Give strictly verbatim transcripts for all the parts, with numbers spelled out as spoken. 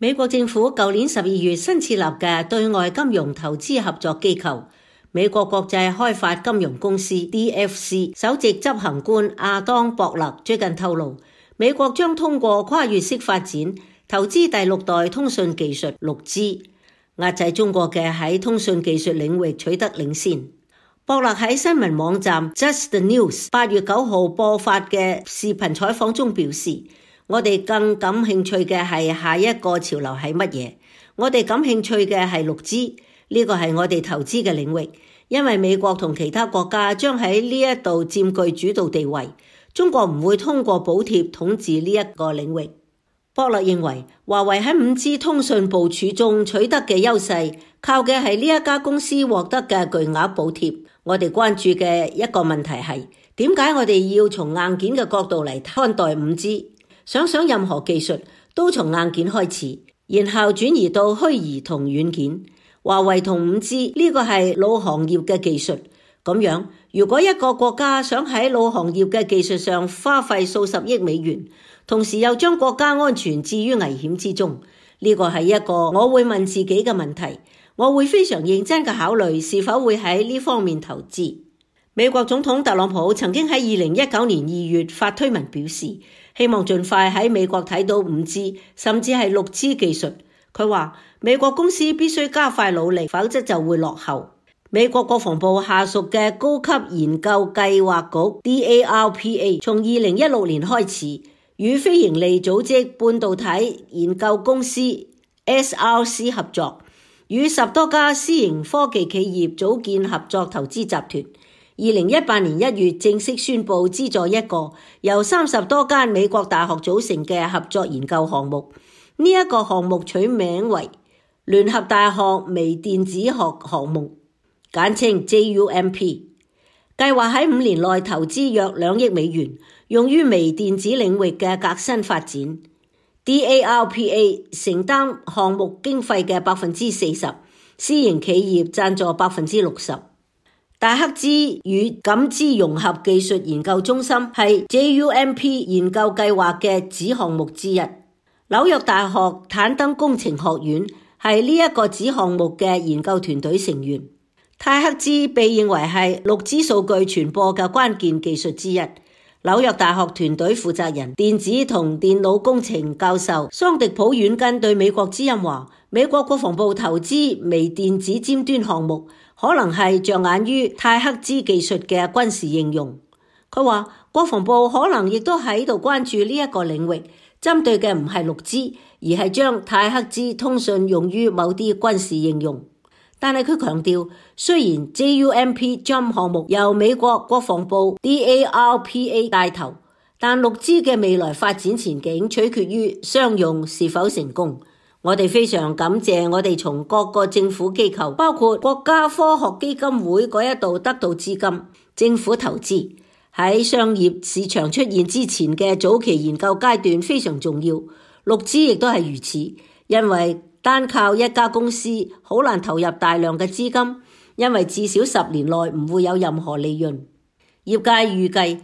美國政府舊年十二月新設立嘅對外金融投資合作機構美國國際開發金融公司 D F C 首席執行官亞當博勒最近透露，美國將通過跨越式發展投資第六代通訊技術 六 G， 壓制中國嘅喺通訊技術領域取得領先。博勒喺新聞網站 Just the News 八月九號播發嘅視頻採訪中表示，我哋更感興趣嘅係下一個潮流係乜嘢？我哋感興趣嘅係 六 G， 呢個係我哋投資嘅領域，因為美國同其他國家將喺呢一度佔據主導地位，中國唔會通過補貼統治呢一個領域。博勒認為，華為喺 五 G 通訊部署中取得嘅優勢，靠嘅係呢一家公司獲得嘅巨額補貼。我哋關注嘅一個問題係，點解我哋要從硬件嘅角度嚟看待 五 G？想想任何技術都從硬件開始，然後轉移到虛擬同軟件。華為同 五 G 呢個係老行業嘅技術，咁樣如果一個國家想喺老行業嘅技術上花費數十億美元，同時又將國家安全置於危險之中，呢個係一個我會問自己嘅問題，我會非常認真嘅考慮是否會喺呢方面投資。美國總統特朗普曾經喺二零一九年二月發推文表示，希望盡快喺美國睇到 五 G 甚至係 六 G 技術。佢話美國公司必須加快努力，否則就會落後。美國國防部下屬嘅高級研究計劃局 D A R P A 從二零一六年開始與非營利組織半導體研究公司 S R C 合作，與十多家私營科技企業組建合作投資集團。二零一八年一月正式宣布資助一個由三十多間美國大學組成嘅合作研究項目。呢、這、一個項目取名為聯合大學微電子學項目，簡稱 J U M P， 計劃喺五年內投資約兩億美元，用於微電子領域嘅革新發展。D A R P A 承擔項目經費嘅百分之四十，私營企業贊助百分之六十。大克茲與感知融合技術研究中心係 J U M P 研究計劃嘅子項目之一。紐約大學坦登工程學院係呢一個子項目嘅研究團隊成員。泰克茲被認為係 六 G 數據傳播嘅關鍵技術之一。紐約大學團隊負責人、電子同電腦工程教授桑迪普軟根對美國之音話，美國國防部投資微電子尖端項目，可能係着眼於泰克茲技術嘅軍事應用。佢話國防部可能亦都喺度關注呢一個領域，針對嘅唔係 六 G， 而係將泰克茲通訊用於某啲軍事應用。但係佢強調，雖然 J U M P Jump 項目由美國國防部 D A R P A 帶頭，但 六 G 嘅未來發展前景取決於商用是否成功。我哋非常感謝我哋從各個政府機構，包括國家科學基金會嗰一度得到資金。政府投資喺商業市場出現之前嘅早期研究階段非常重要。六 G 亦都係如此，因為單靠一家公司好難投入大量嘅資金，因為至少十年內唔會有任何利潤。業界預計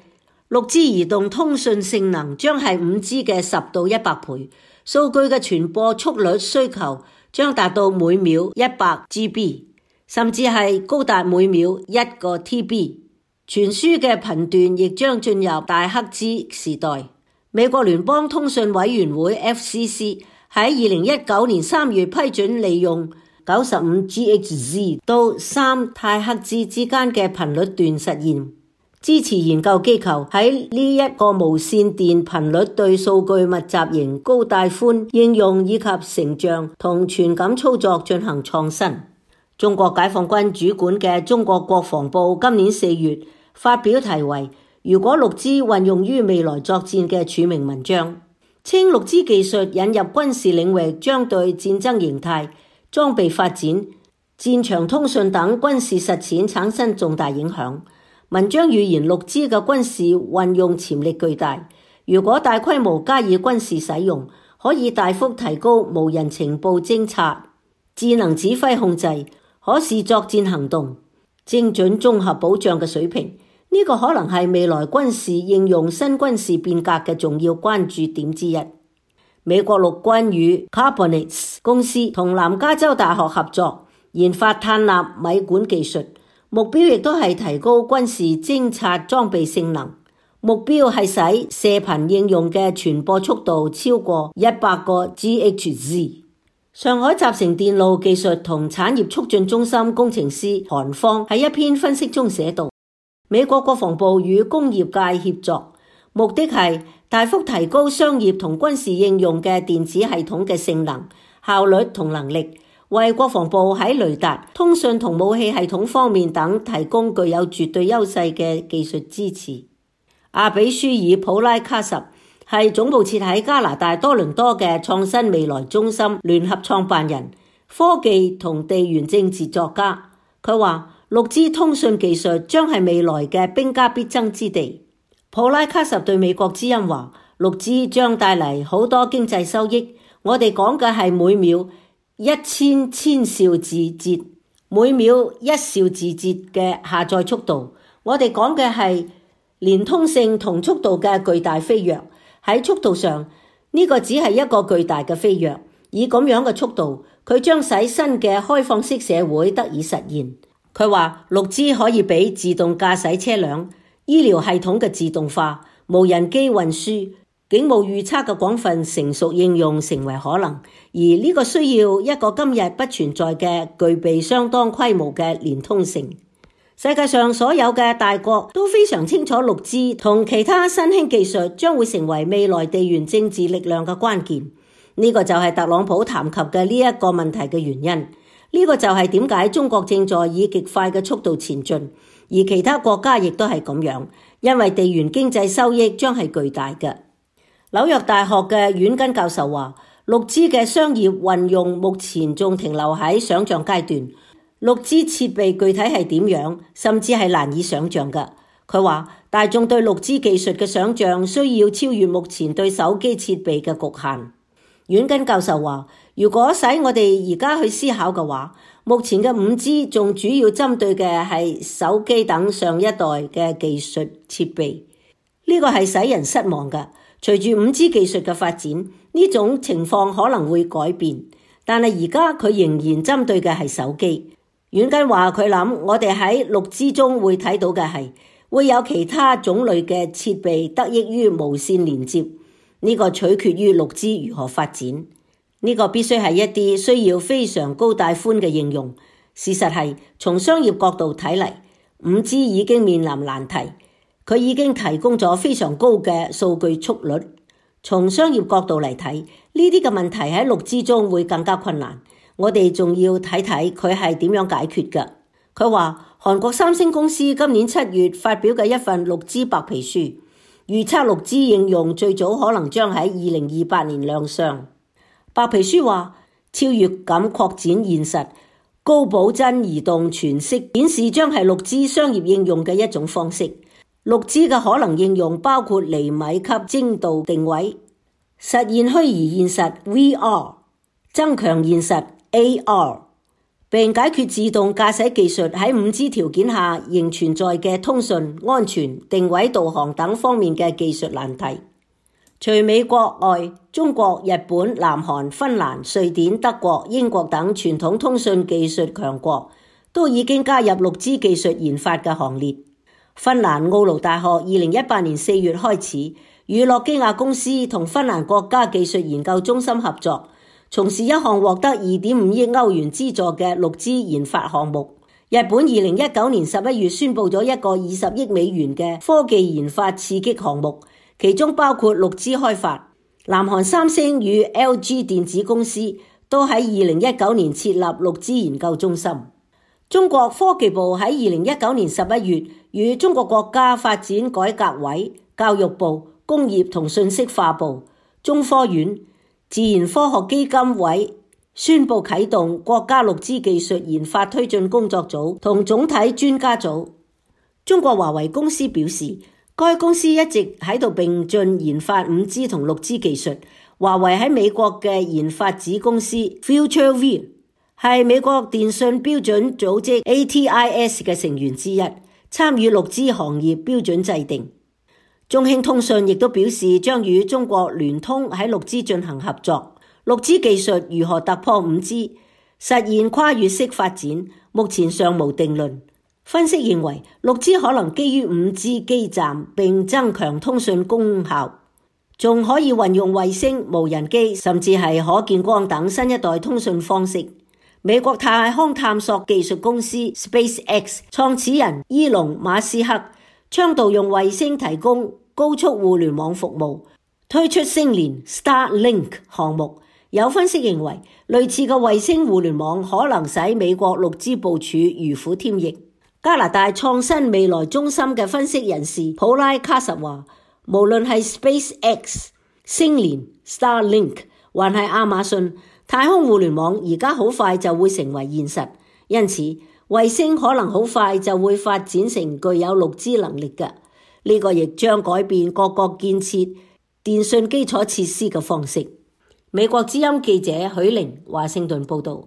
六 G 移動通訊性能將係五 G 嘅十到一百倍。數據嘅傳播速率需求將達到每秒一百 G B， 甚至係高達每秒一個 T B。 傳輸嘅頻段亦將進入大克茲時代。美國聯邦通訊委員會 F C C 喺二零一九年三月批准利用九十五 G H Z 到三太克茲之間嘅頻率段實驗，支持研究機構喺呢一個無線電頻率對數據密集型高帶寬應用以及成像同傳感操作進行創新。中國解放軍主管嘅中國國防部今年四月發表題為如果 六 G 運用於未來作戰嘅署名文章，稱 六 G 技術引入軍事領域將對戰爭形態、裝備發展、戰場通訊等軍事實踐產生重大影響。文章預言 六 G 嘅軍事運用潛力巨大，如果大規模加以軍事使用，可以大幅提高無人情報偵察、智能指揮控制、可視作戰行動、精準綜合保障嘅水平。呢、這個可能係未來軍事應用新軍事變革嘅重要關注點之一。美國陸軍與 Carbonics 公司同南加州大學合作研發碳納米管技術，目標亦都係提高軍事偵察裝備性能，目標係使射頻應用嘅傳播速度超過一百個 G H Z。 上海集成電路技術同產業促進中心工程師韓方喺一篇分析中寫道，美國國防部與工業界協作，目的係大幅提高商業同軍事應用嘅電子系統嘅性能、效率同能力，為國防部喺雷達、通訊同武器系統方面等提供具有絕對優勢嘅技術支持。阿比舒爾普拉卡什係總部設喺加拿大多倫多嘅創新未來中心聯合創辦人、科技同地緣政治作家。佢話六 G 通訊技術將係未來嘅兵家必爭之地。普拉卡什對美國之音話，六 G 將帶嚟好多經濟收益。我哋講嘅係每秒一千千兆字節，每秒一兆字節嘅下載速度。我哋講嘅係連通性同速度嘅巨大飛躍。喺速度上，呢個只係一個巨大嘅飛躍。以咁樣嘅速度，佢將使新嘅開放式社會得以實現。佢話六 G 可以俾自動駕駛車輛、醫療系統嘅自動化、無人機運輸、警務預測嘅廣泛成熟應用成為可能，而呢個需要一個今日不存在嘅具備相當規模嘅連通性。世界上所有嘅大國都非常清楚六 G 同其他新興技術將會成為未來地緣政治力量嘅關鍵。呢個就係特朗普談及嘅呢一個問題嘅原因。呢個就係點解中國正在以極快嘅速度前進，而其他國家亦都係咁樣，因為地緣經濟收益將係巨大嘅。紐約大學嘅阮根教授話，六 G 嘅商業運用目前仲停留喺想象階段，六 G 設備具體係點樣，甚至係難以想象嘅。佢話大眾對六 G 技術嘅想象需要超越目前對手機設備嘅局限。阮根教授話，如果使我哋而家去思考嘅話，目前嘅五 G 仲主要針對嘅係手機等上一代嘅技術設備，呢個係使人失望嘅。隨住五 G 技術嘅發展，呢種情況可能會改變，但係而家佢仍然針對嘅係手機。阮根話佢諗我哋喺六 G 中會睇到嘅係會有其他種類嘅設備得益於無線連接。呢個取決於六 G 如何發展，呢個必須係一啲需要非常高帶寬嘅應用。事實係從商業角度睇嚟，五 G 已經面臨難題，佢已經提供咗非常高嘅數據速率。從商業角度嚟睇，呢啲嘅問題喺六 G 中會更加困難。我哋仲要睇睇佢係點樣解決嘅。佢話韓國三星公司今年七月發表嘅一份六 G 白皮書，預測六 G 應用最早可能將喺二零二八年亮相。白皮書話，超越感擴展現實、高保真移動全息顯示將係六 G 商業應用嘅一種方式。六 G 嘅可能應用包括厘米級精度定位、實現虛擬現實 V R、增強現實 A R， 並解決自動駕駛技術喺五 G 條件下仍存在嘅通訊、安全、定位導航等方面嘅技術難題。除美國外，中國、日本、南韓、芬蘭、瑞典、德國、英國等傳統通訊技術強國都已經加入六 G 技術研發嘅行列。芬蘭奧盧大學二零一八年四月開始與諾基亞公司同芬蘭國家技術研究中心合作，從事一項獲得二點五億歐元資助嘅六 G 研發項目。日本二零一九年十一月宣布咗一個二十億美元嘅科技研發刺激項目，其中包括六 G 開發。南韓三星與 L G 電子公司都喺二零一九年設立六 G 研究中心。中國科技部喺二零一九年十一月與中國國家發展改革委、教育部、工業同信息化部、中科院、自然科學基金委宣布啟動國家六 G 技術研發推進工作組同總體專家組。中國華為公司表示，該公司一直喺度並進研發五 G 同六 G 技術。華為喺美國嘅研發子公司 FutureView 係美國電信標準組織 A T I S 嘅成員之一，參與六 G 行業標準制定。中興通訊亦都表示將與中國聯通喺六 G 進行合作。六 G 技術如何突破五 G， 實現跨越式發展，目前尚無定論。分析認為，六 G 可能基於五 G 基站並增強通訊功效，仲可以運用衛星、無人機甚至係可見光等新一代通訊方式。美國太空探索技術公司 SpaceX 創始人伊隆馬斯克倡導用衛星提供高速互聯網服務，推出星鏈 Starlink 項目。有分析認為，類似嘅衛星互聯網可能使美國六 G 部署如虎添翼。加拿大創新未來中心嘅分析人士普拉卡什話，無論係 SpaceX、星鏈 Starlink 還係亞馬遜，太空互聯網而家好快就會成為現實，因此衛星可能好快就會發展成具有六 G 能力嘅。呢、這個亦將改變各國建設電信基礎設施嘅方式。美國之音記者許玲華盛頓報道。